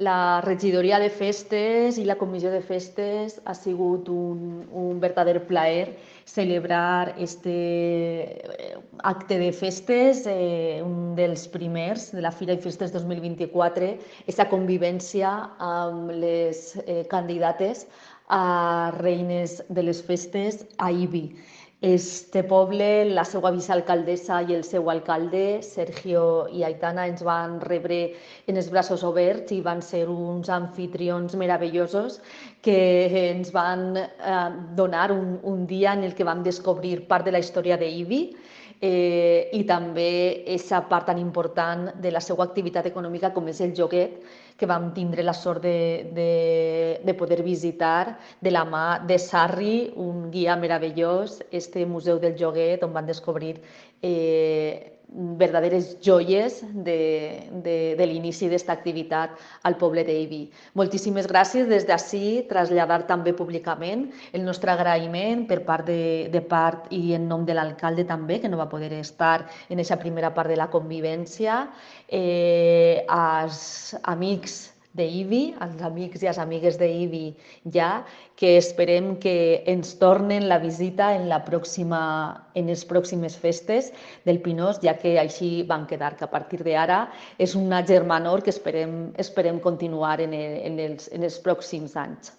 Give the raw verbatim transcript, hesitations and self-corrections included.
La regidoria de festes i la comissió de festes ha sigut un, un verdader plaer celebrar este acte de festes, eh, un dels primers de la Fira i Festes dos mil vint-i-quatre, aquesta convivència amb les eh, candidates a reines de les festes a Ibi. Este poble, la seva vicealcaldessa i el seu alcalde, Sergio i Aitana, ens van rebre en els braços oberts i van ser uns anfitrions meravellosos que ens van eh, donar un, un dia en el que vam descobrir part de la història d'Ibi eh, i també aquesta part tan important de la seva activitat econòmica com és el joguet, que vam tindre la sort de, de, de poder visitar de la mà de Sarri, un guia meravellós, este Museu del Joguet, on van descobrir eh, verdaderes joies de, de, de l'inici d'esta activitat al poble d'Ibi. Moltíssimes gràcies des d'ací, traslladar també públicament el nostre agraïment per part de, de part i en nom de l'alcalde també, que no va poder estar en aquesta primera part de la convivència, eh, als amics d'Ibi, als amics i les amigues d'Ibi ja, que esperem que ens tornen la visita en, la pròxima, en les pròximes festes del Pinós, ja que així van quedar, que a partir d'ara és una germanor que esperem, esperem continuar en, el, en, els, en els pròxims anys.